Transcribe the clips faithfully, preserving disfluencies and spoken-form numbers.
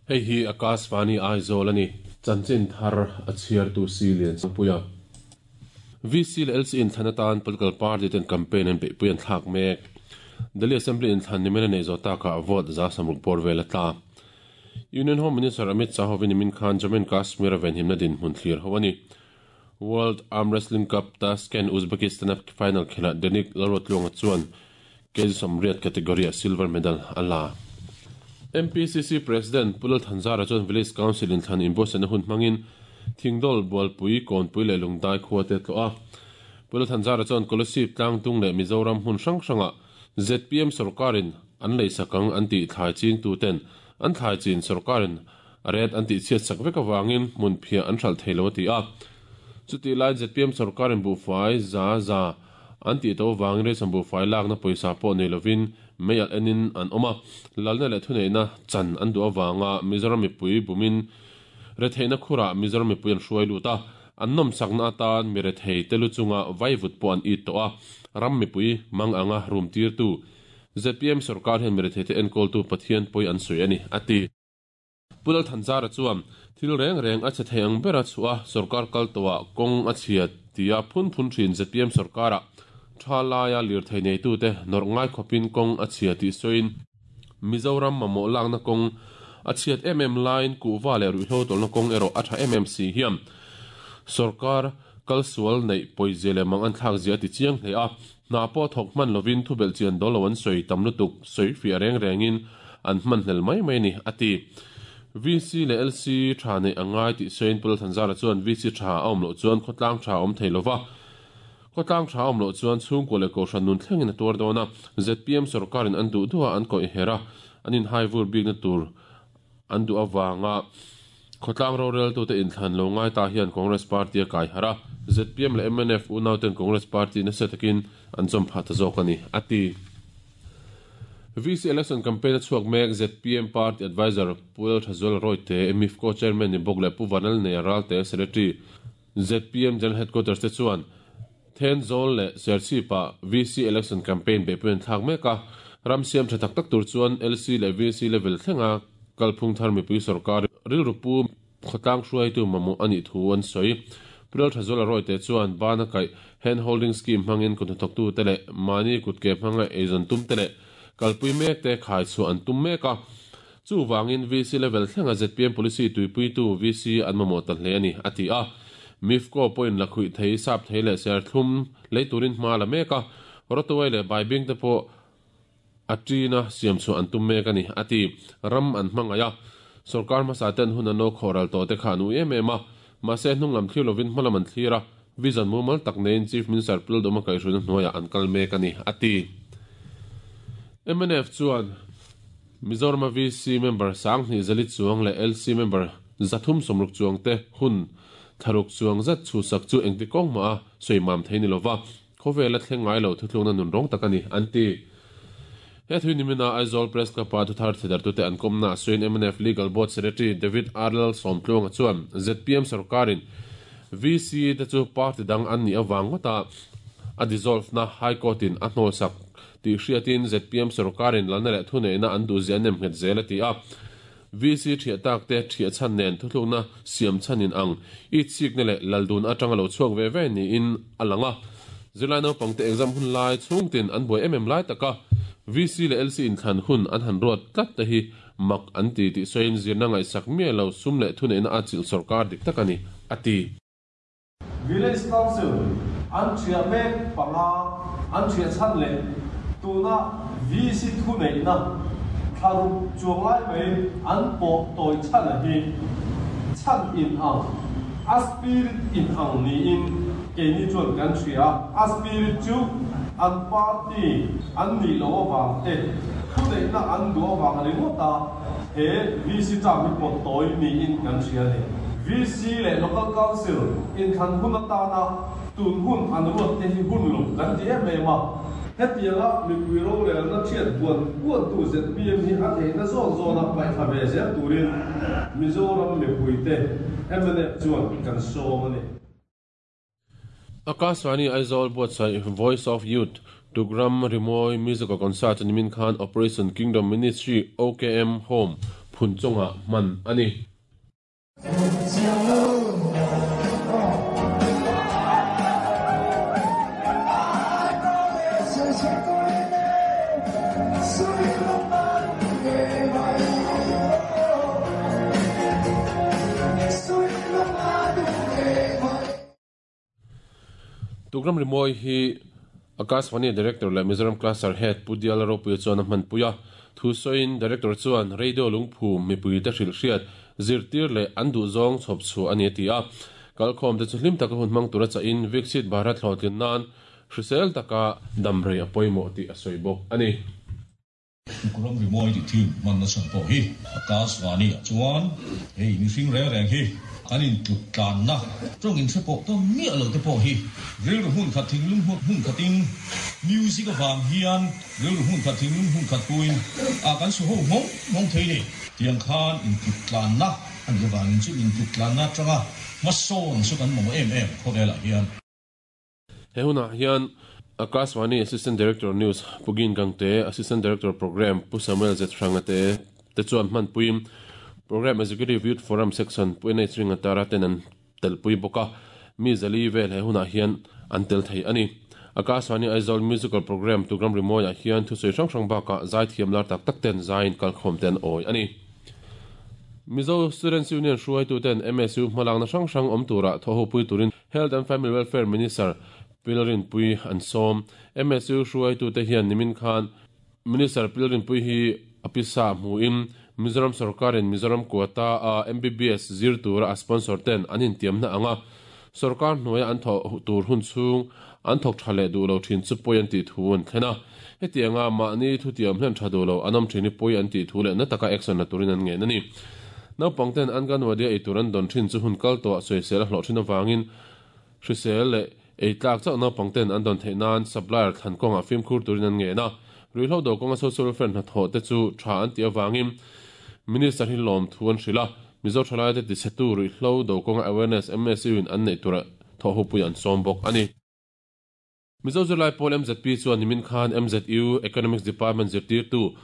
Hei hi Akashvani Aizawl ani chanchin thar a chhiar tu si lian puia V C le L C in thlan atan political party ten campaign an beihpui an thlak mek. Delhi Assembly in thlan nimena nei zo taka vote za samruk por vel atla. Union Home Minister Amit Shah hovin min khan Jammu and Kashmir ven himna din hmun thlir howani. World Arm Wrestling Cup Tashkent Uzbekistan final khela Denik Lalrotlunga chuan K G Somriat category a silver medal ala. M P C C President Pulal Thanzara chuan Village Council in thlan inbuatsaihna hun hmangin Thingdol Bualpui Kawnpui leh Lungdai khua te tlo a. Pulal Thanzara chuan Kolasib Tlangtung leh Mizoram hmun hrang hranga Z P M sarkarin an lei sakang an tih thlai ching tu ten an thlai chin sarkarin a ret an tih chhiat sak vek awangin hmun phia an hral thei lo a ti a. Chuti lai Z P M sarkarin buhfai za za an tih to wangin reisam buhfai lakna pawisa pawh nei lovin mei al enin an awm a. Lalna leh thuneihna chan an duh awanga Mizoram mipui bumin retheihna khurah Mizoram mipui an hruai lut a. An nawm sakna atan mi rethei te lu chunga vaivut pawh an it tawh a. Ram mipui mang anga rum tir tu Z P M sarkar hian mi rethei te enkawl tu Pathian pawi an sawi ani a ti. Pulal Thanzara chuan thil reng reng a che thei ang bera chua sarkar kal tawah kawng a chhiat tia phun phun thin Z P M sarkara tha laia lir thei nei tu te nawr ngai khawpin kawng a chhia tih sawiin Mizoram mamawh lakna kawng a chhiat em em lain kuhva leh ruihhlo tawlhna kawng erawh a tha em em si hian sarkar kalsual neih pawizia leh mang an thlak zia ti chiang hle a. Hna pawh thawk hman lovin thubelh chian dawl lo an sawi tam lutuk sawi fiah reng rengin an hman hlel mai mai ni a ti. V C leh L C tha nei angai tih sawiin Pulal Thanzara chuan V C tha a awm loh chuan khawtlang tha awm thei lova. Khawtlang tha awm loh chuan chhungkaw leh kohhran nun thlengin a tuar dawn a. Z P M sarkarin an duh duha an kawih her a. An inhai vur bikna tur an duh awanga khawtlang rorel tu te inthlan lo ngai ta hian Congress Party a kai har a. Z P M leh M N F unau ten Congress Party nasa takin an chawm phah ta zawk ani a ti. V C election campaign a chhuak mek Z P M Party Advisor Pulal Thazual Royte M I F Co Chairman ni bawk leh Pu Vanal nei Ralte Secretary Z P M General Headquarters te chuan Thenzawl leh Serchhipa V C election campaign beihpui an thlak mek a. Ram siam tha tak tak tur chuan L C leh V C level thlenga kalphung thar mipui sarkar rilru pu khawtlang hruaitu mamawh ani thu an sawi. Pulal Thazual Royte chuan bana kai hand holding scheme hmangin kut hnathawktu te leh mahni kutke hmanga eizawn tum te leh kalpui mek te khai chu an tum mek a. Chu wangin V C level thlenga Z P M policy tuipui tu V C an mamawh ta hle ani a ti a. M I F Co point la khuih thei sap thei leh ser thlum lei turin hma la mek a. Rotawai leh baibing te pawh a ṭina siam chu an tum mek ani a ti. Ram an hmangai a. Sarkar hmasa ten hun an lo khawral tawh te kha an ui em em a. Mahse hnung lam thlir lovin hma lam an thlir a. Vision mumal tak nein Chief Minister Pulal Doma kaihhruina hnuaiah an kal mek ani a ti. M N F chuan Mizoram V C member Sanghni Zali chuang leh L C member Zathum Somruk chuang te hun tharuk chuang zat chu sak chu engti kawng ma a sawi mam thei ni lova. Khawvel a thleng ngai lo thuthlungna nun rawng tak ani an ti. He thui nimina Aizawl Press Club a thuthar thedar tu te an kawmna sawiin M N F Legal Board Secretary David Arlal Sawmtluanga chuan Z P M sarkarin V C te chu party dang an ni awang ngawta a dissolve na High Court in a hnawl sak tih hriatin Z P M sarkarin lalna leh thuneihna an duh zia nem nghet zel a ti a. V C thiah tak te thiah chhan nen thuthlukna siam chhanin ang i chikna leh laldun atanga lo chhuak ve ve niin a lang a. Zirlai naupang te exam hun lai chhungtin an buai em em lai taka V C leh L C inthlan hun an han ruat tlat te hi mak an ti tih sawiin zirna ngaihsak miah lo sum leh thuneihna a chilh sarkar dik tak ani a ti. Village Council an thiah mek panga an thiah chhan leh tuna V C thuneihna tharuk chuang lai mai an pawh tawi chhan a hi chhan in ang a spirit in ang niin keini chuan kan hria a spirit chu an party an ni lo awang te thuneihna an duh awang ringawt a he V C cham hi pawh tawi niin kan hria ni. V C leh Local Council inthlan hun atana tun hun an ruat te hi hun lo kan ti em em a. Hetianga mipui rorelna thiat buan buan tu Z P M hi a theihna zawn zawna paihthla ve zel turin Mizoram mipui te M N F chuan kan sawm ani. Akashvani Aizawl buatsaih Voice of Youth Tugram Rimoi Musical Concert nimin khan Operation Kingdom Ministry O K M Home Phunchonga man ani. Tugram rimoi hi Akashvani Director le Mizoram Cluster Head Pudial Ropui chuan a hman puia thu soin Director chuan radio lungphu mipui te hril hriat zirtir le an du zawng chhawp chu ani ti a kalkhawm te chu hlim taka hun hmang tura cha in Viksit Bharat hlawhtlin nan hrisel taka damrei a pawimawh tih a sawi bawk ani. Tugram rimoi ti thin man na chan pawh hi Akashvani ah chuan hei mihring reng reng hi kan in tluk tlan na tawng in hre pawh ta miah lo te pawh hi rilru hmun khat thinglung hmun khatin music awang hian rilru hmun khat thinglung hmun khat puin a kan su ho hmong hmong thei ni tiang khan in tluk tlan na ani awangin chu in tluk tlan na tanga hmasawn chu kan mamawh em em khawvelah hian. He hunah hian Akashvani Assistant Director News Pugin Gangte, Assistant Director Program Pu Samuel Zethranga te te chuan hman puim Program Executive Youth Forum Section Pu N H Ringatara ten an telpui bawka mi zali vel he hunah hian an tel thei ani. Akashvani Aizawl Musical Program Tugram Rimoya hian thusoi hrang hrang baka zai thiam lar tak tak ten zain kalkhawm ten awi ani. Mizo Students Union hruaitu ten M S U hmalakna hrang hrang awm tura thaw pui turin Health and Family Welfare Minister Pilrin Pui an sawm. M S U hruaitu te hian nimin khan Minister Pilrin Pui hi apisa hmuin Mizoram Sarkarin Mizoram quota a M B B S zir tura a sponsor ten an intiamna anga sarkar hnuaia an thaw tur hun chhung an thawk tha leh duh lo thin chu pawi an tih thu an thlen a. Hetianga mahni thu tiam hlen tha duh lo an awm thin hi pawi an tih thu leh na taka action la turin an ngen ani. Naupang ten an ganwadia ei tur an dawn thin chu hun kal tawh sawisel a hlawh thin awangin hrisel leh ei tlak chauh naupang ten an dawn theih nan supplier thlan kawngah fimkhur turin an ngen a. Ruihhlo do kawnga social welfare hnathawh te chu tha an tih awangin Minister hi lawm thu an hrilh a. Mizo thalai te tichhetu ruihhlo do kawnga awareness M S U in an neih tura thaw ho pui an sawm bawk ani. Mizo Zirlai Pawl M Z P chuan nimin khan M Z U Economics Department zirtirtu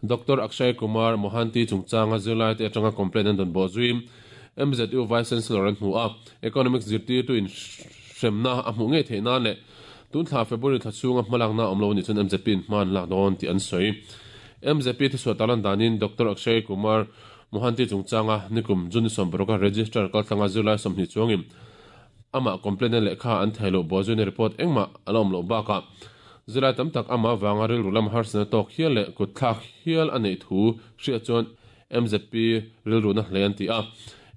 Doctor Akshay Kumar Mohanty chungchanga zirlai te atanga complaint an dawn bawh zuim M Z U Vice Chancellor an hmu a. Economics zirtirtu in hremna a hmuh ngei theih nan leh tun thla February thla chhunga hmalakna awm lo ni chuan M Z P in hman lak dawn tih an sawi. M Z P thuchhuah talan danin Doctor Akshay Kumar Mohanty chungchanga nikum June sawm paruk register kaltlanga zirlai sawmhnih chuangin ama complaint lehkha an thei lo bawh zuina report engmah a la awm loh bakah zirlai tam tak ama wanga rilru lam harsana tawk hial leh kut thlak hial a neih thu hriat chuan M Z P rilru na hle an ti a.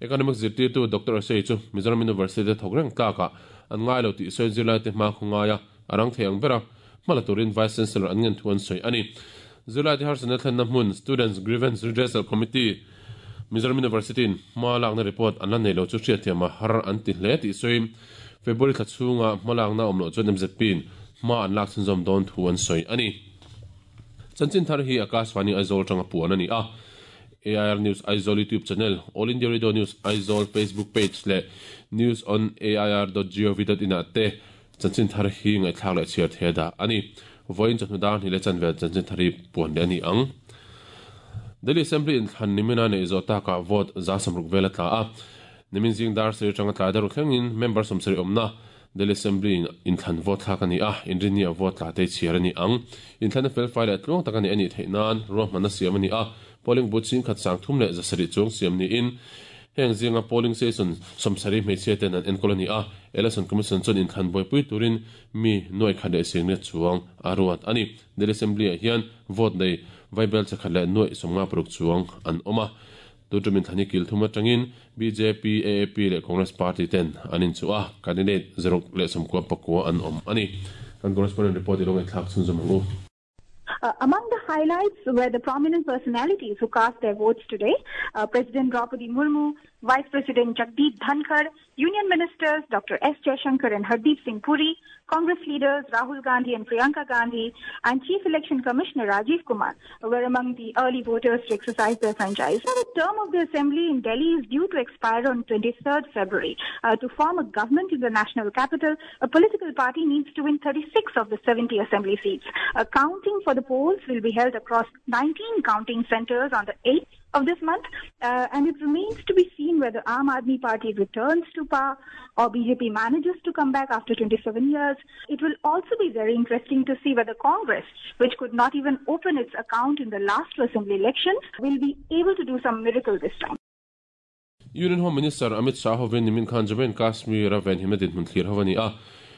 Economics zirtirtu Doctor Akshay chu Mizoram University thawk reng tlakah an ngai lo tih sawi zirlai te hma khawngaia a rang thei ang bera hmala turin Vice Chancellor an ngen thu an sawi ani. Zirlai te harsana thlenna hmun Students Grievance Redressal Committee Mizoram University in hma lakna report an la nei lo chu hriat thiam a har an ti hle tih sawi February thla chhunga hma lakna awm loh chuan M Z P in hma an lak chhunzawm dawn thu an sawi ani. Chanchin thar hi Akashvani Aizawl tanga puan ani a. A I R News Aizawl YouTube channel, All India Radio News Aizawl Facebook page le news on A I R dot gov dot in te chanchin thar hi ngai thlak leh chhiar the da ani. Voin chawhnu dar hnih leh chanvel chanchin thar hi puan leh ani ang. Delhi Assembly in thlan nimina nei zawh takah vote za samruk vel a tla a. Nimin zing dar sir tanga tlai daru thlengin member sawmsarih awmna Delhi Assembly in thlan vote thlak ani a. Inrini a vote tla te chhiar ani ang. In thlan a fel fai leh tluang tak ani ani theih nan ruahmanna siam ani a. Polling booth sing khat sang thum leh zasarih chuang siam ni in heng zinga polling station sawmsarih hmeichhia ten an enkawl ani a. Election Commission chuan in thlan buaipui turin mi nuai khat leh sing le chuang a ruat ani. Delhi Assembly ah hian vote nei vaibel chakhat leh nuai sawmnga paruk chuang an awm a. Tutumin thlan hi kil thum atangin B J P, A A P leh Congress Party ten an inchu a. Candidate zaruk leh sawmkua pakua an awm ani. Kan correspondent report i lo ngaih thlak chhunzawm ang u. Uh, among the highlights were the prominent personalities who cast their votes today. Uh, President Draupadi Murmu, Vice President Jagdeep Dhankhar, Union Ministers Doctor S. Jaishankar and Hardeep Singh Puri, Congress leaders Rahul Gandhi and Priyanka Gandhi, and Chief Election Commissioner Rajiv Kumar were among the early voters to exercise their franchise. Now, the term of the assembly in Delhi is due to expire on twenty-third February. Uh, to form a government in the national capital, a political party needs to win thirty-six of the seventy assembly seats. Uh, counting for the polls will be held across nineteen counting centers on the eighth of this month. Uh, and it remains to be seen whether Aam Aadmi Party returns to power or B J P manages to come back after twenty-seven years. It will also be very interesting to see whether Congress, which could not even open its account in the last two assembly elections, will be able to do some miracle this time. Union Home Minister Amit Shah hovin nimin khan Jammu and Kashmir a ven himadin mun thlir hawani a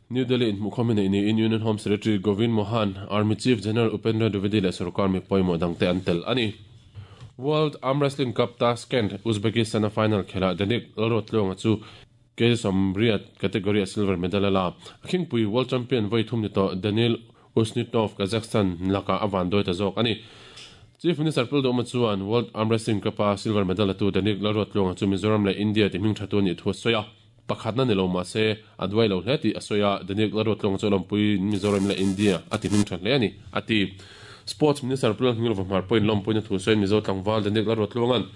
New Delhi in mukhamine in Union Home Secretary Govind Mohan, Army Chief General Upendra Dwivedi le sarkar mi poimo dangte antel ani. World Arm Wrestling Cup Tashkent Uzbekistan final khela Danik Lalruattluanga chu K Somriat category silver medal la Khingpui World Champion voi thum ni to Daniel Usnitov Kazakhstan laka awan doi ta zawk ani. Chief Minister Pul chuan World Arm Wrestling Cup silver medal tu Danik Lalruattluanga chu Mizoram le India ti hming thatu ni thu soya pakhatna ni lo ma se adwai lo hle ti asoya Danik Lalruattluanga chu lompui Mizoram le India ati hming tha hle ani ati. Sports Minister Pul Ngilova Hmar point lompui na thu soin Mizo tlangval Danik Lalruattluangan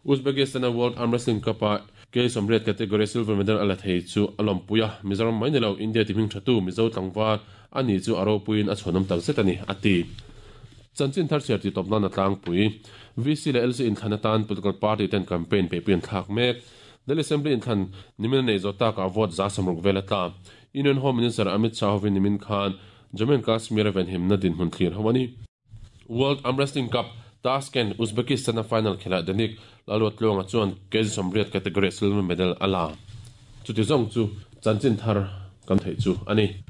Uzbekistan World Arm Wrestling Cup K Somriat category silver medal ala thei chu alompuia Mizoram mai ni lo India ti hming thatu Mizo tlangval ani chu aropuin a chhonam tak zet ani ati. Chanchin thar cher ti topna na tlang pui V C le L C in thanatan political party ten campaign pe pian thak mek Delhi Assembly in than nimin nei zota ka vote za samruk velata Union Home Minister Amit Shah hovin nimin khan Jammu and Kashmir ven himna din hun thlir hawani. World Arm Wrestling Cup Tashkent Uzbekistan final khela Danik Lalruattluanga chuan K Somriat category silver medal ala chuti zong chu chanchin thar kan thei chu ani.